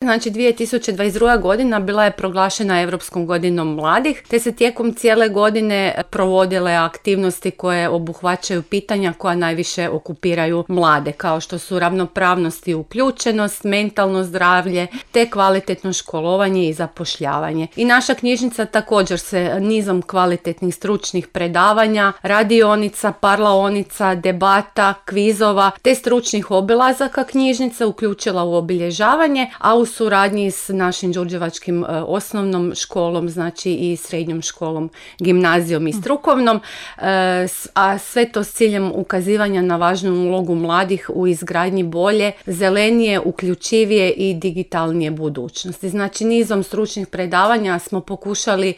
Znači 2022. godina bila je proglašena Europskom godinom mladih, te se tijekom cijele godine provodile aktivnosti koje obuhvaćaju pitanja koja najviše okupiraju mlade, kao što su ravnopravnost i uključenost, mentalno zdravlje, te kvalitetno školovanje i zapošljavanje. I naša knjižnica također se nizom kvalitetnih stručnih predavanja, radionica, parlaonica, debata, kvizova, te stručnih obilazaka knjižnice uključila u obilježavanje, a u suradnji s našim đurđevačkim osnovnom školom, znači i srednjom školom, gimnazijom i strukovnom, a sve to s ciljem ukazivanja na važnu ulogu mladih u izgradnji bolje, zelenije, uključivije i digitalnije budućnosti. Znači nizom stručnih predavanja smo pokušali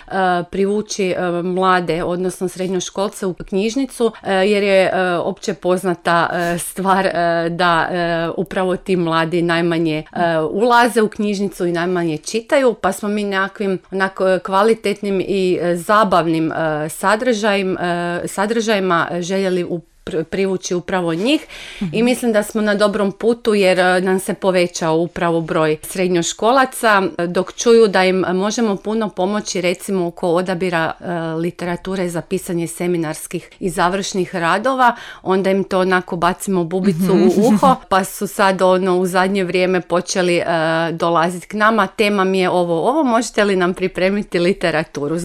privući mlade, odnosno srednjoškolce u knjižnicu, jer je opće poznata stvar da upravo ti mladi najmanje ulaze u knjižnicu i najmanje čitaju, pa smo mi nekakvim kvalitetnim i zabavnim sadržajima željeli privući upravo njih i mislim da smo na dobrom putu jer nam se povećao upravo broj srednjoškolaca, dok čuju da im možemo puno pomoći recimo oko odabira literature za pisanje seminarskih i završnih radova, onda im to onako bacimo bubicu u uho, pa su sad u zadnje vrijeme počeli dolaziti k nama, tema mi je ovo, možete li nam pripremiti literaturu?